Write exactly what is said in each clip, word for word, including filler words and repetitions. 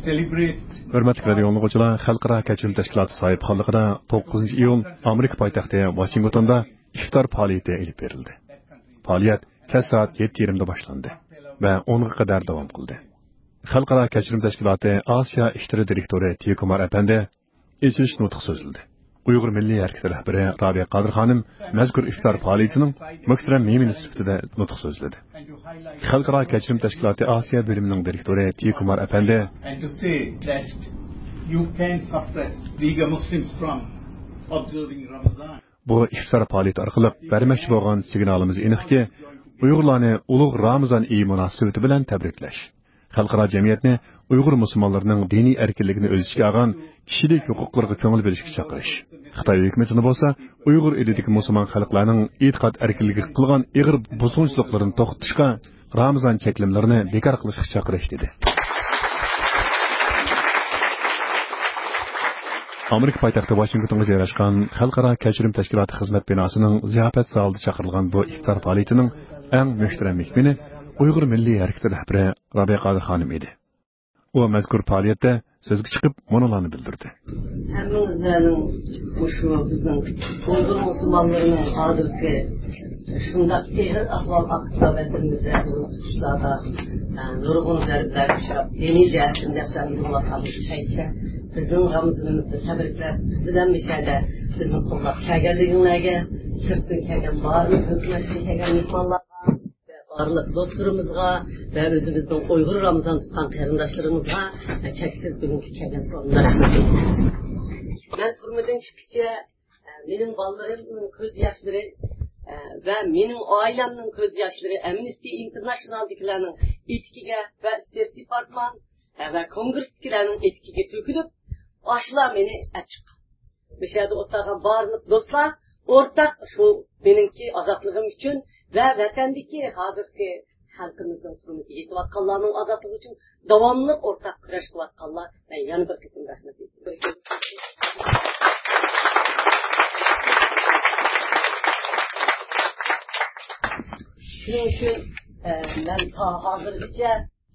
ھۆرمەتلىك رادىئو ئاڭلىغۇچىلار، خەلقئارا كەچۈرۈم تەشكىلاتى ساھىبخانلىقىدا توققۇزىنچى ئىيۇل ئامېرىكا پايتەختى ۋاشىنگتوندا ئىفتار پائالىيىتى ئېلىپ بېرىلدى. پائالىيەت كەچ سائەت يەتتە يېرىمدە باشلاندى ۋە ئونغا قەدەر داۋام قىلدى. خەلقئارا كەچۈرۈم تەشكىلاتى ئاسىيا ئىشلىرى دىرېكتورى تىيو كۇمار ئەپەندى ئېچىلىش نۇتقى سۆزلىدى. ئۇيغۇر مىللىي ھەرىكىتى رەھبىرى رابىيە قادىر خانىم مەزكۇر ئىفتار پائالىيىتىنىڭ مۇھتەرەم مېھمىنى سۈپىتىدە نۇتۇق سۆزلىدى. خەلقئارا كەچۈرۈم تەشكىلاتى ئاسىيا بۆلۈمىنىڭ دىرېكتورى تى كۇمار ئەپەندى، And to say that you can suppress Uyghur Muslims from observing Ramadan. بۇ ئىفتار پائالىيىتى ئارقىلىق بەرمەكچى بولغان سىگنالىمىز ئېنىقكى، ئۇيغۇرلارنى ئۇلۇغ رامىزان ئېيى مۇناسىۋىتى بىلەن تەبرىكلەش، خەلقئارا جەمئىيەتنى ئۇيغۇر مۇسۇلمانلىرىنىڭ دىنىي ئەركىنلىكىنى ئۆز ئىچىگە ئالغان كىشىلىك ھوقۇقلىرىغا كۆڭۈل بۆلۈشكە چاقىرىش، خىتاي ھۆكۈمىتىنى بولسا ئۇيغۇر ئېلىدىكى مۇسۇلمان خەلقلەرنىڭ ئېتىقاد ئەركىنلىكىگە قىلغان ئېغىر بۇزغۇنچىلىقلىرىنى توختىتىشقا، رامىزان چەكلىمىلىرىنى بىكار قىلىشقا چاقىرىش، دېدى. ئامېرىكا پايتەختى ۋاشىنگتونغا جايلاشقان خەلقئارا كەچۈرۈم تەشكىلاتى خىزمەت بىناسىنىڭ زىياپەت زالىدا چاقىرىلغان بۇ ئىپتار پائالىيىتىنىڭ ئەڭ مۆھتەرەم مېھمىنى ئۇيغۇر مىللىي ھەرىكىتى رەھبىرى رابىيە قادىر خانىم ئىدى. ئۇ مەزكۇر پائالىيەتتە سۆزگە چىقىپ، مۇنۇلارنى بىلدۈردى. ھەممىڭلارنىڭ مۇشۇ بىزنىڭ ئۇيغۇر مۇسۇلمانلىرىنىڭ ھازىرقى شۇنداق ئېغىر ئەھۋال ئاستىدا ۋەتىنىمىزدە بۇ تۇتۇشلاردا، ئە، نۇرغۇن زەربىلەرگە ئۇچراپ، دىنىي جەھەتتىن دەپسەندە بولۇۋاتقان مۇشۇ پەيتتە بىزنىڭ رامىزىنىمىزنى تەبرىكلەپ، بىز بىلەن مۇشۇ يەردە بىزنى قوللاپ كەلگەنلىكىڭلارگە، سىرتتىن كەلگەن بارلىق ھۆكۈمەتتىن كەلگەن مېھمانلارغا، بارلىق دوستلىرىمىزغا ۋە ئۆزىمىزنىڭ ئۇيغۇر رامىزان تۇتقان قېرىنداشلىرىمىزغا چەكسىز بۈگۈنكى كەلگەن سورۇندا رەھمەت ئېيتىمەن. مەن تۈرمىدىن چىققىچە مېنىڭ بالىلىرىمنىڭ كۆز ياشلىرى ۋە مېنىڭ ئائىلەمنىڭ كۆز ياشلىرى ئەمنىستى ئىنتېرناشنالدىكىلەرنىڭ ئېتىكىگە ۋە ستېيت دېپارتمان ۋە كونگرېسدىكىلەرنىڭ ئېتىكىگە تۆكۈلۈپ، ئاشۇلار مېنى ئەپ چىققان. مۇشۇ يەردە ئولتۇرغان بارلىق دوستلار ئورتاق شۇ مېنىڭكى ئازادلىقىم ئۈچۈن ۋە ۋەتەندىكى ھازىرقى خەلقىمىزنىڭ تۈرمىدە يېتىۋاتقانلارنىڭ ئازادلىقى ئۈچۈن داۋاملىق ئورتاق كۈرەش قىلىۋاتقانلار، مەن يەنە بىر قېتىم رەھمەت ئېيتىمەن. شۇنىڭ ئۈچۈن، ئە، مەن تا ھازىرغىچە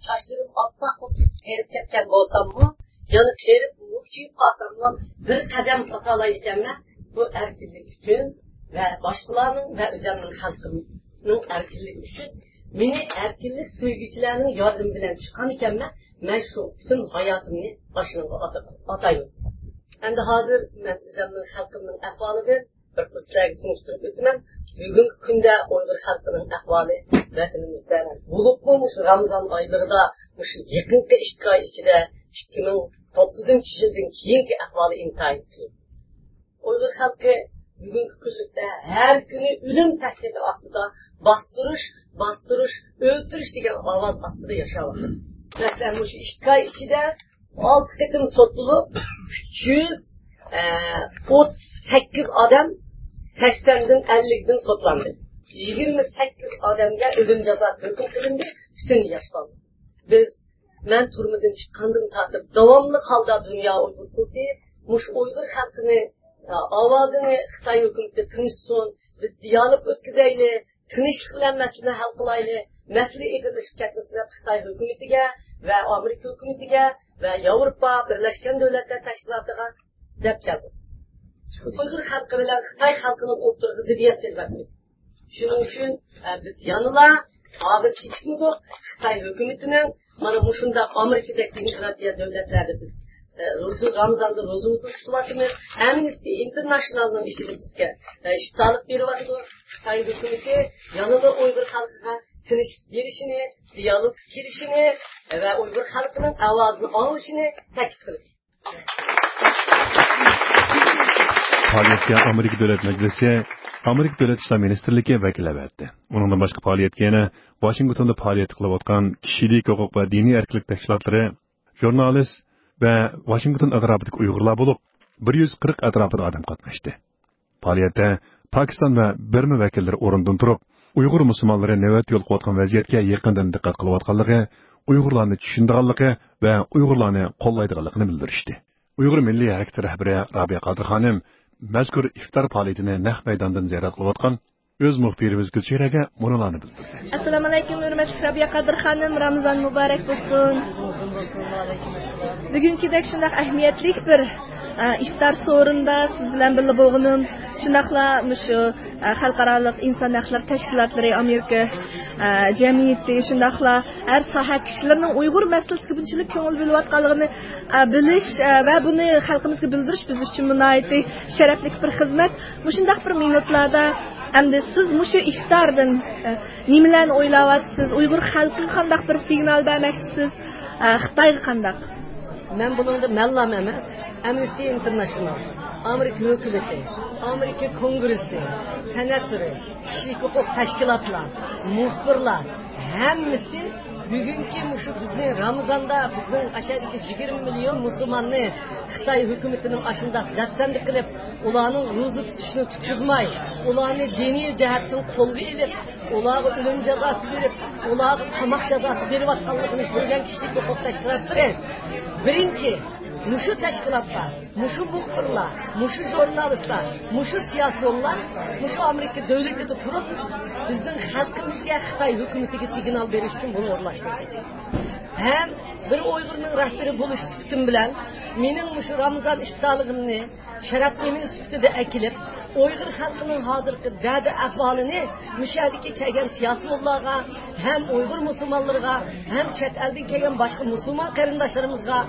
چاچلىرىم ئاپئاق بولۇپ قېرىپ كەتكەن بولساممۇ، يەنە قېرىپ مۈكچىيىپ قالساممۇ، بىر قەدەم باسالايدىكەنمەن. بۇ ئەركىنلىك ئۈچۈن ۋە باشقىلارنىڭ ۋە ئۆزۈمنىڭ خەلقىمنىڭ ئەركىنلىكى ئۈچۈن مېنى ئەركىنلىك سۆيگۈچىلەرنىڭ ياردىمى بىلەن چىققان ئىكەنمەن. مەن شۇ پۈتۈن ھاياتىمنى ئاشۇنىڭغا ئاتا-، ئاتايمەن. ئەمدى ھازىر مەن ئۆزۈمنىڭ خەلقىمنىڭ ئەھۋالىدىن بىر قىسىم سىلەرگە تونۇشتۇرۇپ ئۆتىمەن. بۈگۈنكى كۈندە ئۇيغۇر خەلقىنىڭ ئەھۋالى ۋەتىنىمىزدە، بولۇپمۇ مۇشۇ رامىزان ئايلىرىدا، مۇشۇ يېقىنقى ئىككى ئاي ئىچىدە، ئىككى مىڭ توققۇزىنچى يىلدىن كېيىنكى ئەھۋالى ئىنتايىن قىيىن. ئۇيغۇر خەلقى بۈگۈنكى كۈنلۈكتە ھەر كۈنى ئۆلۈم تەھدىتى ئاستىدا، باستۇرۇش، باستۇرۇش، ئۆلتۈرۈش دېگەن ئاۋاز ئاستىدا ياشاۋاتىدۇ. مەسىلەن، مۇشۇ ئىككى ئاي ئىچىدە ئالتە قېتىم سوت بولۇپ، ئۈچ يۈز ئوتتۇز سەككىز ئادەم سەكسەندىن، ئەللىكتىن سوتلاندى. يىگىرمە سەككىز ئادەمگە ئۆلۈم جازاسى ھۆكۈم قىلىندى، پۈتۈن ياش بالىلار. بىز، مەن تۈرمىدىن چىققاندىن تارتىپ داۋاملىق ھالدا دۇنيا ئۇيغۇر قۇرۇلتىيى مۇشۇ ئۇيغۇر خەلقىنى، ئاۋازىنى خىتاي ھۆكۈمىتى تىڭشىسۇن، بىز دىيالوگ ئۆتكۈزەيلى، تىنچلىق بىلەن مەسىلىنى ھەل قىلايلى، مەسىلە ئېغىرلىشىپ كەتمىسۇن دەپ خىتاي ھۆكۈمىتىگە ۋە ئامېرىكا ھۆكۈمىتىگە ۋە ياۋروپا بىرلەشكەن دۆلەتلەر تەشكىلاتىغا دەپ كەلدۇق. ئۇيغۇر خەلقى بىلەن خىتاي خەلقىنىڭ ئوتتۇرىغا زىددىيەت سېلىۋەتمىدۇق. شۇنىڭ ئۈچۈن، ئە، بىز يەنىلا ھازىر كېچىكمىدۇق. خىتاي ھۆكۈمىتىنىڭ مانا مۇشۇنداق ئامېرىكىدەك دېموكراتىيە دۆلەتلەردە بىز، ئە، روزا، رامىزاندا روزىمىزنى تۇتۇۋاتىمىز. ئەمنىستى ئىنتېرناشنالنىڭ ئىچىدە بىزگە، ئە، ئىپتارلىق بېرىۋاتىدۇ. خىتاي ھۆكۈمىتى يەنىلا ئۇيغۇر خەلقىگە تىنچلىق بېرىشىنى، دىيالوگقا كىرىشىنى ۋە ئۇيغۇر خەلقىنىڭ ئاۋازىنى ئاڭلىشىنى تەكىت قىلدى. پائالىيەتكە ئامېرىكا دۆلەت مەجلىسى، ئامېرىكا دۆلەت ئىشلار مىنىستىرلىكى ۋەكىللەر بەردى. ئۇنىڭدىن باشقا پائالىيەتكە يەنە ۋاشىنگتوندا پائالىيەت قىلىۋاتقان كىشىلىك ھوقۇق ۋە دىنىي ئەركىنلىك تەشكىلاتلىرى، ژۇرنالىست ۋە ۋاشىنگتون ئەتراپىدىكى ئۇيغۇرلار بولۇپ، بىر يۈز قىرىق ئەتراپىدا ئادەم قاتناشتى. پائالىيەتتە پاكىستان ۋە بىرما ۋەكىللىرى ئورنىدىن تۇرۇپ، ئۇيغۇر مۇسۇلمانلىرى نۆۋەتتە يولۇقۇۋاتقان ۋەزىيەتكە يېقىندىن دىققەت قىلىۋاتقانلىقى، ئۇيغۇرلارنى چۈشىنىدىغانلىقى ۋە ئۇيغۇرلارنى قوللايدىغانلىقىنى بىلدۈرۈشتى. ئۇيغۇر مىللىي ھەرىكىتى رەھبىرى رابىيە قادىر خانىم مەزكۇر ئىفتار پائالىيىتىنى نەق مەيداندىن زىيارەت قىلىۋاتقان ئۆز مۇخبىرىمىز گۈلچېھرەگە مۇنۇلارنى بىلدۈردى. ئەسسالامۇئەلەيكۇم، ھۆرمەتلىك رابىيە قادىر خانىم، رامىزان مۇبارەك بولسۇن. بۈگۈنكىدەك شۇنداق ئەھمىيەتلىك بىر، ئە، ئىپتار سورۇندا سىز بىلەن بىللە بولغىنىم، شۇنداقلا مۇشۇ، ئە، خەلقئارالىق ئىنسان ھەقلىرى تەشكىلاتلىرى، ئامېرىكا، ئە، جەمئىيىتى، شۇنداقلا ھەر ساھە كىشىلىرىنىڭ ئۇيغۇر مەسىلىسىگە بۇنچىلىك كۆڭۈل بۆلۈۋاتقانلىقىنى، ئە، بىلىش، ئە، ۋە بۇنى خەلقىمىزگە بىلدۈرۈش بىز ئۈچۈن ناھايىتى شەرەپلىك بىر خىزمەت. مۇشۇنداق بىر مىنۇتلاردا ئەمدى سىز مۇشۇ ئىفتاردىن، ئە، نېمىلەرنى ئويلاۋاتىسىز؟ ئۇيغۇر خەلقىگە قانداق بىر سىگنال بەرمەكچىسىز، ئە، خىتايغا قانداق؟ مەن بۇنىڭدا مەنلام ئەمەس، ئەمنىستى ئىنتېرناشنال، ئامېرىكا ھۆكۈمىتى، ئامېرىكا كونگرېسسى، سېناتورى، كىشىلىك ھوقۇق تەشكىلاتلار، مۇخبىرلار، ھەممىسى بۈگۈنكى مۇشۇ بىزنى رامىزاندا بىزنىڭ ئاشۇ يەردىكى يىگىرمە مىليون مۇسۇلماننى خىتاي ھۆكۈمىتىنىڭ ئاشۇنداق دەپسەندە قىلىپ، ئۇلارنىڭ روزا تۇتۇشىنى تۇتقۇزماي، ئۇلارنى دىنىي جەھەتتىن قولغا ئېلىپ، ئۇلارغا ئۆلۈم جازاسى بېرىپ، ئۇلارغا قاماق جازاسى بېرىۋاتقانلىقىنى كۆرگەن كىشىلىك ھوقۇق تەشكىلاتلىرى، بىرىنچى، مۇشۇ تەشكىلاتلار، مۇشۇ مۇخبىرلار، مۇشۇ ژۇرنالىستلار، مۇشۇ سىياسىيونلار مۇشۇ ئامېرىكا دۆلىتىدە تۇرۇپ، بىزنىڭ خەلقىمىزگە، خىتاي ھۆكۈمىتىگە سىگنال بېرىش ئۈچۈن بۇنى ئورۇنلاشتۇردى. ھەم بىر ئۇيغۇرنىڭ رەھبىرى بولۇش سۈپىتىم بىلەن مېنىڭ مۇشۇ رامىزان ئىپتارلىقىمنى شەرەپ ئىمىنى سۈپىتىدە ئەكېلىپ، ئۇيغۇر خەلقىنىڭ ھازىرقى دەردى ئەھۋالىنى مۇشۇ يەردىكى كەلگەن سىياسىيونلارغا، ھەم ئۇيغۇر مۇسۇلمانلىرىغا، ھەم چەت ئەلدىن كەلگەن باشقا مۇسۇلمان قېرىنداشلىرىمىزغا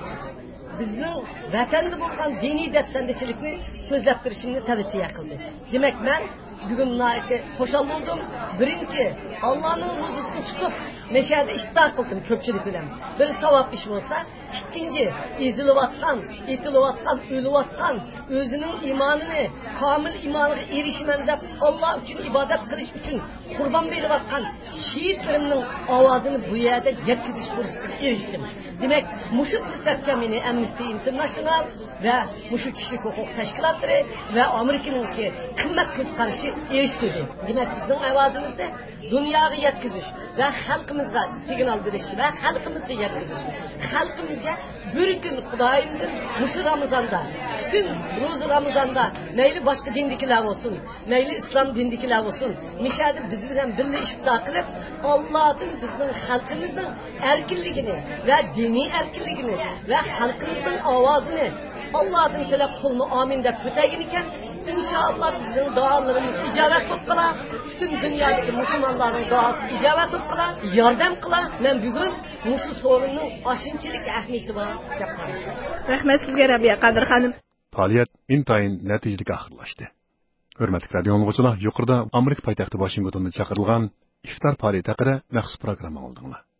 بىزنىڭ ۋەتەندە بولغان دىنىي دەپسەندىچىلىكنى سۆزلەپ بېرىشىمنى تەۋسىيە قىلدى. دېمەك، مەن بۈگۈن ناھايىتى خۇشال بولدۇم. بىرىنچى، ئاللانىڭ روزىسىنى تۇتۇپ، مەشەدە ئىپتار قىلدىم كۆپچىلىك بىلەن. بىر ساۋاب ئىش بولسا، ئىككىنچى، ئېزىلىۋاتقان، ئېتىلىۋاتقان، ئۆلۈۋاتقان، ئۆزىنىڭ ئىمانىنى، كامىل ئىمانىغا ئېرىشىمەن دەپ، ئاللا ئۈچۈن ئىبادەت قىلىش ئۈچۈن قۇربان بېرىۋاتقان شېھىتلىرىمنىڭ ئاۋازىنى بۇ يەردە يەتكۈزۈش پۇرسىتىگە ئېرىشتىم. دېمەك، مۇشۇ پۇرسەتكە مېنى ئەمنىستى ئىنتېرناشنال ۋە مۇشۇ كىشىلىك ھوقۇق تەشكىلاتلىرى ۋە ئامېرىكىنىڭكى قىممەت كۆز قارىشى ئېرىشتۈردى. دېمەك، بىزنىڭ ئاۋازىمىزنى دۇنياغا يەتكۈزۈش ۋە خەلقىمىزغا سىگنال بېرىش ۋە خەلقىمىزگە يەتكۈزۈش. خەلقىمىزگە بىر كۈن خۇدايىمدىن مۇشۇ رامىزاندا، پۈتۈن روزا رامىزاندا، مەيلى باشقا دىندىكىلەر بولسۇن، مەيلى ئىسلام دىنىدىكىلەر بولسۇن، مىشەدە بىز بىلەن بىللە ئىپتار قىلىپ، ئاللادىن بىزنىڭ خەلقىمىزنىڭ ئەركىنلىكىنى ۋە دىنىي ئەركىنلىكىنى ۋە خەلقىمىزنىڭ ئاۋازىنى ئاللادىن تىلەپ، قولىنى ئامىن دەپ كۆتەرگىنىكەن، ئىنشائاللا بىزنىڭ دۇئالىرىمىز ئىجابەت بولۇپ قالا، پۈتۈن دۇنيادىكى مۇسۇلمانلارنىڭ دۇئاسى ئىجابەت بولۇپ قالا، ياردەم قىلا. مەن بۈگۈن مۇشۇ سورۇننىڭ ئاشۇنچىلىك ئەھمىيىتى بار دەپ قارايمەن. رەھمەت سىزگە، رابىيە قادىر خانىم. پائالىيەت ئىنتايىن نەتىجىلىك ئاخىرلاشتى. ھۆرمەتلىك رادىيو ئاڭلىغۇچىلار، يۇقىرىدا ئامېرىكا پايتەختى ۋاشىنگتوندا چاقىرىلغان ئىفتار پائالىيىتى ھەققىدە مەخسۇس پروگرامما ئاڭلىدىڭلار.